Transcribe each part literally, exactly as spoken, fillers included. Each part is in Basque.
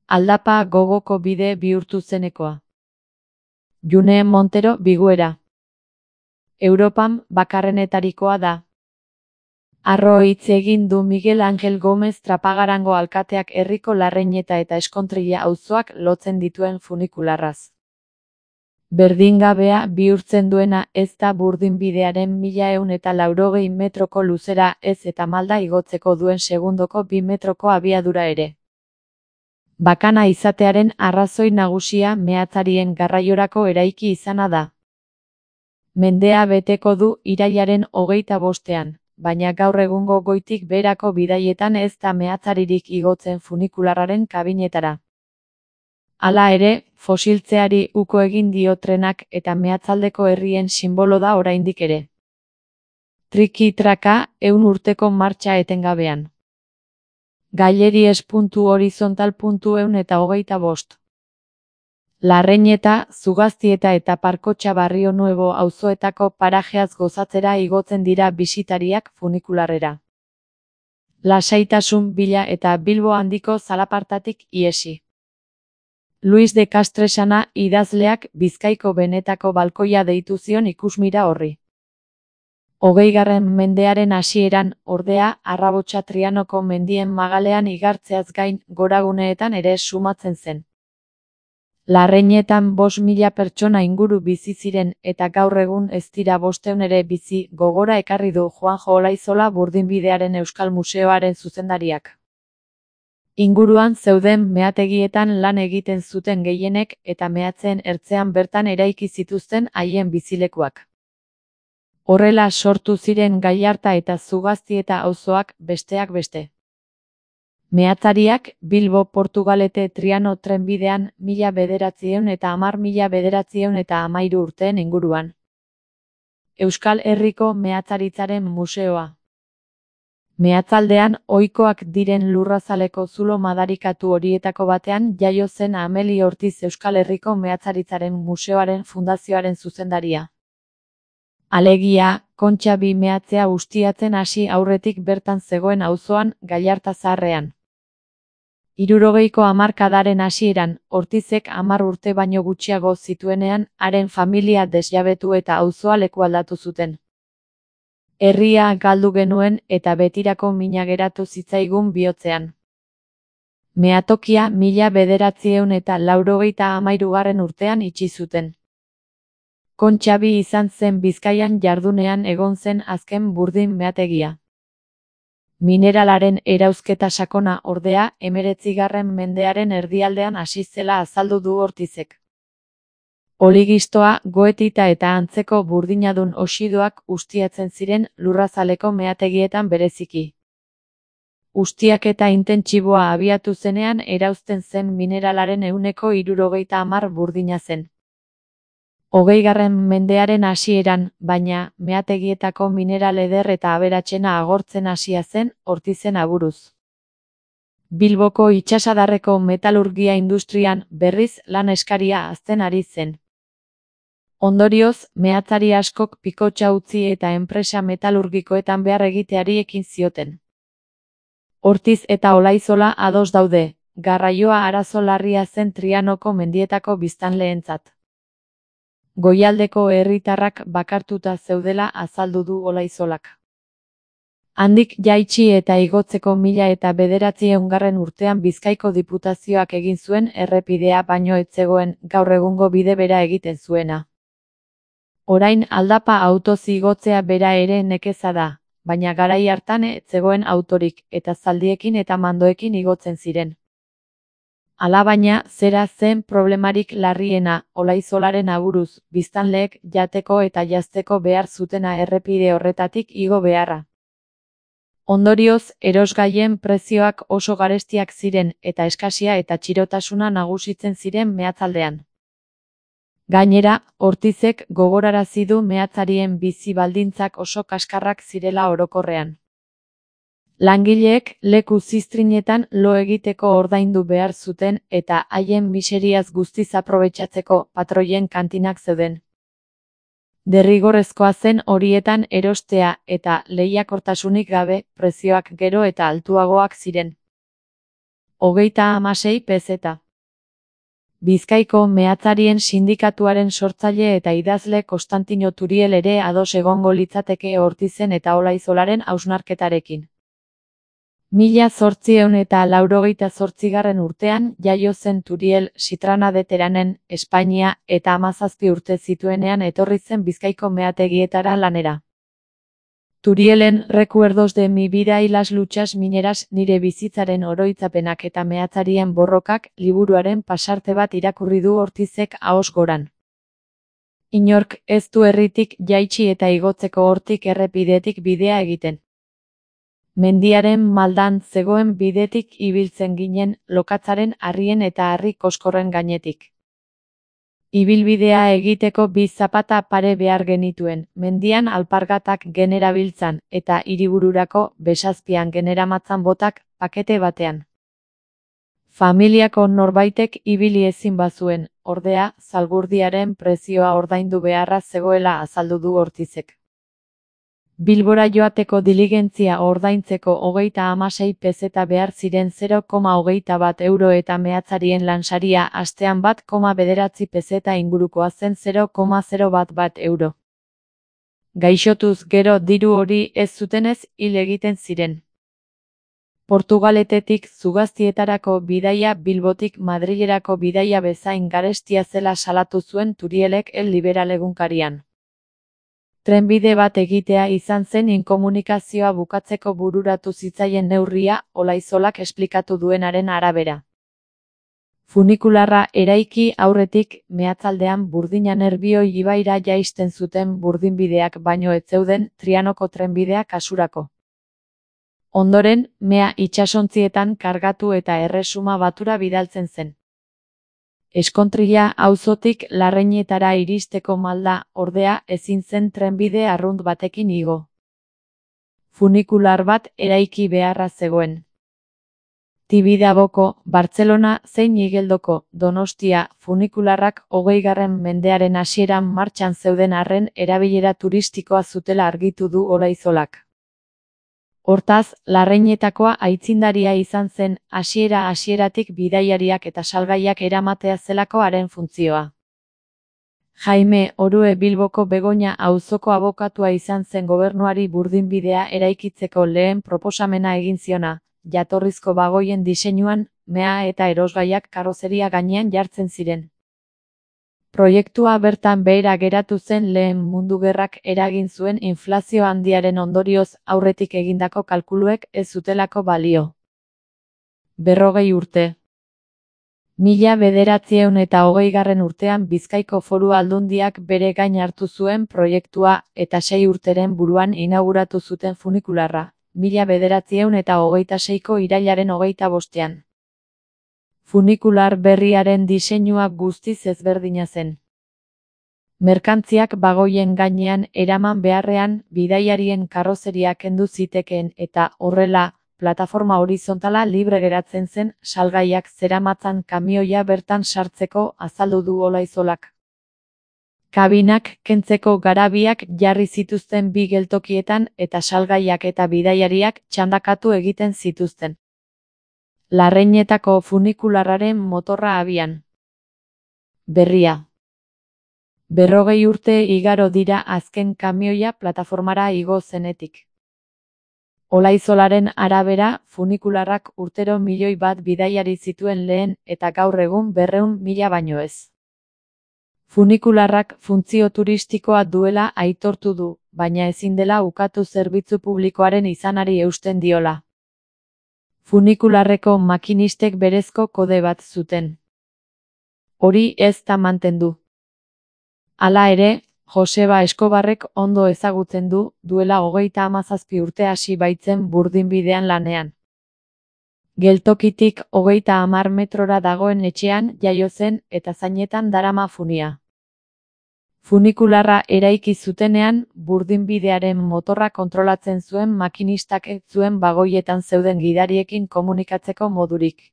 aldapa gogoko bide bihurtu zenekoa. June Montero Biguera. Europan bakarrenetarikoa da. Harro hitz egin du Miguel Angel Gomez Trapagarango alkateak herriko Larreñeta eta Eskontrilla auzoak lotzen dituen funikularraz. Berdingabea bihurtzen duena ez da burdinbidearen mila ehun eta laurogei metroko luzera ez eta malda igotzeko duen segundoko bi metroko abiadura ere. Bakana izatearen arrazoi nagusia meatzarien garraiorako eraiki izana da. Mendea beteko du irailaren hogeita bostean, baina gaur egungo goitik beherako bidaietan ez da meatzaririk igotzen funikularraren kabinetara. Hala ere, fosiltzeari uko egin dio trenak eta meatzaldeko herrien sinbolo da oraindik ere. Triki-traka, ehun urteko martxa etengabean. Gaileries puntu horizontal puntu ehun eta hogeita bost. Larreñeta, Zugaztieta eta Parkotxa Barrio Nuevo auzoetako parajeaz gozatzera igotzen dira bisitariak funikularrera. Lasaitasun bila eta Bilbo handiko zalapartatik iesi. Luis de Castresana idazleak Bizkaiko benetako balkoia deitu zion ikusmira horri. Hogeigarren mendearen hasieran, ordea, Arrabotsa Trianoko mendien magalean igartzeaz gain goraguneetan ere sumatzen zen. Larreñetan bost mila pertsona inguru bizi ziren eta gaur egun ez dira bostehun ere bizi, gogora ekarri du Juanjo Olaizola Burdinbidearen Euskal Museoaren zuzendariak. Inguruan zeuden meategietan lan egiten zuten gehienek eta meatzen ertzean bertan eraiki zituzten haien bizilekuak. Horrela sortu ziren Gallarta eta Zugaztieta auzoak besteak beste. Meatzariak Bilbo Portugalete Triano trenbidean mila bederatziehun eta hamar mila bederatziehun eta hamairu urteen inguruan. Euskal Herriko Meatzaritzaren Museoa. Meatzaldean ohikoak diren lurrazaleko zulo madarikatu horietako batean jaio zen Ameli Ortiz Euskal Herriko Meatzaritzaren Museoaren fundazioaren zuzendaria. Alegia, Kontxa bi meatzea ustiatzen hasi aurretik bertan zegoen auzoan Gallarta Zaharrean. Hirurogeiko hamarkadaren hasieran, Ortizek hamar urte baino gutxiago zituenean, haren familia desjabetu eta auzoa lekualdatu zuten. Herria galdu genuen eta betirako mina geratu zitzaigun bihotzean. Meatokia mila bederatziehun eta laurogeita hamairugarren urtean itxi zuten. Kontxa bi izan zen Bizkaian jardunean egon zen azken burdin meategia. Mineralaren erauzketa sakona ordea hemeretzigarren mendearen erdialdean hasi zela azaldu du Ortizek. Oligistoa, goetita eta antzeko burdinadun oxidoak ustiatzen ziren lurrazaleko meategietan bereziki. Ustiaketa intentsiboa abiatu zenean erauzten zen mineralaren ehuneko hirurogeita hamar burdina zen. Hogeigarren mendearen hasieran, baina, meategietako mineral eder eta aberatsena agortzen hasia zen Ortizen aburuz. Bilboko itsasadarreko metalurgia industrian berriz lan eskaria hazten ari zen. Ondorioz, meatzari askok pikotxa utzi eta enpresa metalurgikoetan behar egiteari ekin zioten. Ortiz eta Olaizola ados daude, garraioa arazo larria zen Trianoko mendietako biztanleentzat. Goialdeko herritarrak bakartuta zeudela azaldu du Olaizolak. Handik jaitsi eta igotzeko mila eta bederatziehungarren urtean Bizkaiko Diputazioak egin zuen errepidea baino ez zegoen gaur egungo bide bera egiten zuena. Orain aldapa autoz igotzea bera ere nekeza da, baina garai hartan ez zegoen autorik eta zaldiekin eta mandoekin igotzen ziren. Alabaina, zera zen problemarik larriena, Olaizolaren aburuz, biztanleek jateko eta jazteko behar zutena errepide horretatik igo beharra. Ondorioz, erosgaien prezioak oso garestiak ziren eta eskasia eta txirotasuna nagusitzen ziren meatzaldean. Gainera, Ortizek gogorarazi du meatzarien bizi baldintzak oso kaskarrak zirela orokorrean. Langileek leku ziztrinetan lo egiteko ordaindu behar zuten eta haien miseriaz guztiz aprobetxatzeko patroien kantinak zeuden. Derrigorrezkoa zen horietan erostea eta lehiakortasunik gabe prezioak gero eta altuagoak ziren. hogeita hamasei pezeta. Bizkaiko meatzarien sindikatuaren sortzaile eta idazle Konstantino Turiel ere ados egongo litzateke Ortizen eta Olaizolaren hausnarketarekin. Mila zortziehun eta laurogeita zortzigarren urtean jaio zen Turiel Sitrana de Teranen, Espainia, eta hamazazpi urte zituenean etorri zen Bizkaiko meategietara lanera. Turielen Recuerdos de mi vida y las luchas mineras, nire bizitzaren oroitzapenak eta meatzarien borrokak liburuaren pasarte bat irakurri du Ortizek ahoz goran. Inork ez du herritik jaitsi eta igotzeko hortik errepidetik bidea egiten. Mendiaren maldan zegoen bidetik ibiltzen ginen, lokatzaren harrien eta harri koskorren gainetik. Ibilbidea egiteko bi zapata pare behar genituen, mendian alpargatak generabiltzan, eta hiribururako besazpian generamatzan botak pakete batean. Familiako norbaitek ibili ezin bazuen, ordea, zalgurdiaren prezioa ordaindu beharra zegoela azaldu du Ortizek. Bilbora joateko diligentzia ordaintzeko hogeita hamasei pezeta behar ziren zero koma hogeita bat euro eta meatzarien lansaria astean bat koma bederatzi pezeta ingurukoa zen zero koma zero bat bat euro. Gaixotuz gero diru hori ez zutenez hil egiten ziren. Portugaletetik Zugaztietarako bidaia Bilbotik Madrilerako bidaia bezain garestia zela salatu zuen Turielek El Liberal egunkarian. Trenbide bat egitea izan zen inkomunikazioa bukatzeko bururatu zitzaien neurria, Olaizolak esplikatu duenaren arabera. Funikularra eraiki aurretik, meatzaldean Burdina Nerbioi ibaira jaisten zuten burdinbideak baino ez zeuden Trianoko trenbidea kasurako. Ondoren, mea itsasontzietan kargatu eta erresuma batura bidaltzen zen. Eskontrilla auzotik Larreinetara iristeko malda, ordea, ezin zen trenbide arrunt batekin igo. Funikular bat eraiki beharra zegoen. Tibidaboko, Bartzelona zein Igeldoko, Donostia, funikularrak hogeigarren mendearen hasieran martxan zeuden arren erabilera turistikoa zutela argitu du Olaizolak. Hortaz, Larreinetakoa aitzindaria izan zen, hasiera-hasieratik bidaiariak eta salgaiak eramatea zelako haren funtzioa. Jaime Orue Bilboko Begoña auzoko abokatua izan zen gobernuari burdinbidea eraikitzeko lehen proposamena egin ziona, jatorrizko bagoien diseinuan, mea eta erosgaiak karozeria gainean jartzen ziren. Proiektua bertan behera geratu zen Lehen Mundu Gerrak eragin zuen inflazio handiaren ondorioz aurretik egindako kalkuluek ez zutelako balio. Berrogei urte. Mila bederatziehun eta hogeigarren urtean Bizkaiko Foru Aldundiak bere gain hartu zuen proiektua eta sei urteren buruan inauguratu zuten funikularra, mila bederatziehun eta hogeita seiko irailaren hogeita bostean. Funikular berriaren diseinua guztiz ezberdina zen. Merkantziak bagoien gainean eraman beharrean bidaiarien karrozeria kendu zitekeen eta horrela, plataforma horizontala libre geratzen zen salgaiak zeramatzan kamioia bertan sartzeko azaldu du Olaizolak. Kabinak kentzeko garabiak jarri zituzten bi geltokietan eta salgaiak eta bidaiariak txandakatu egiten zituzten. Larreinetako funikularraren motorra abian. Berria. Berrogei urte igaro dira azken kamioia plataformara igo zenetik. Olaizolaren arabera, funikularrak urtero milioi bat bidaiari zituen lehen eta gaur egun berrehun mila baino ez. Funikularrak funtzio turistikoa duela aitortu du, baina ezin dela ukatu zerbitzu publikoaren izanari eusten diola. Funikularreko makinistek berezko kode bat zuten. Hori ez da mantendu. Hala ere, Joseba Eskobarrek ondo ezagutzen du, duela hogeita hamazazpi urte hasi baitzen burdinbidean lanean. Geltokitik hogeita hamar metrora dagoen etxean jaio zen eta zainetan darama funia. Funikularra eraiki zutenean, burdinbidearen motorra kontrolatzen zuen makinistak ez zuen bagoietan zeuden gidariekin komunikatzeko modurik.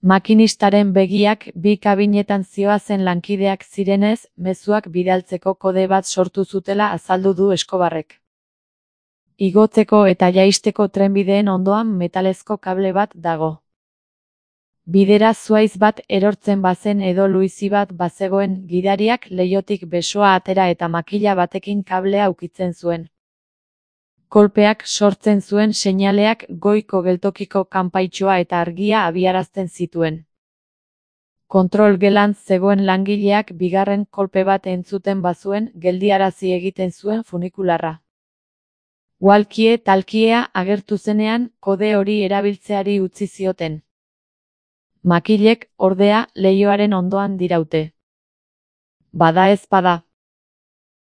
Makinistaren begiak bi kabinetan zihoazen lankideak zirenez, mezuak bidaltzeko kode bat sortu zutela azaldu du Eskobarrek. Igotzeko eta jaisteko trenbideen ondoan metalezko kable bat dago. Bidera zuaiz bat erortzen bazen edo luizi bat bazegoen, gidariak leihotik besoa atera eta makila batekin kablea ukitzen zuen. Kolpeak sortzen zuen seinaleak goiko geltokiko kanpaitxoa eta argia abiarazten zituen. Kontrol gelan zegoen langileak bigarren kolpe bat entzuten bazuen, geldiarazi egiten zuen funikularra. Walkie talkiea agertu zenean, kode hori erabiltzeari utzi zioten. Makilek, ordea, leihoaren ondoan diraute. Bada ez bada.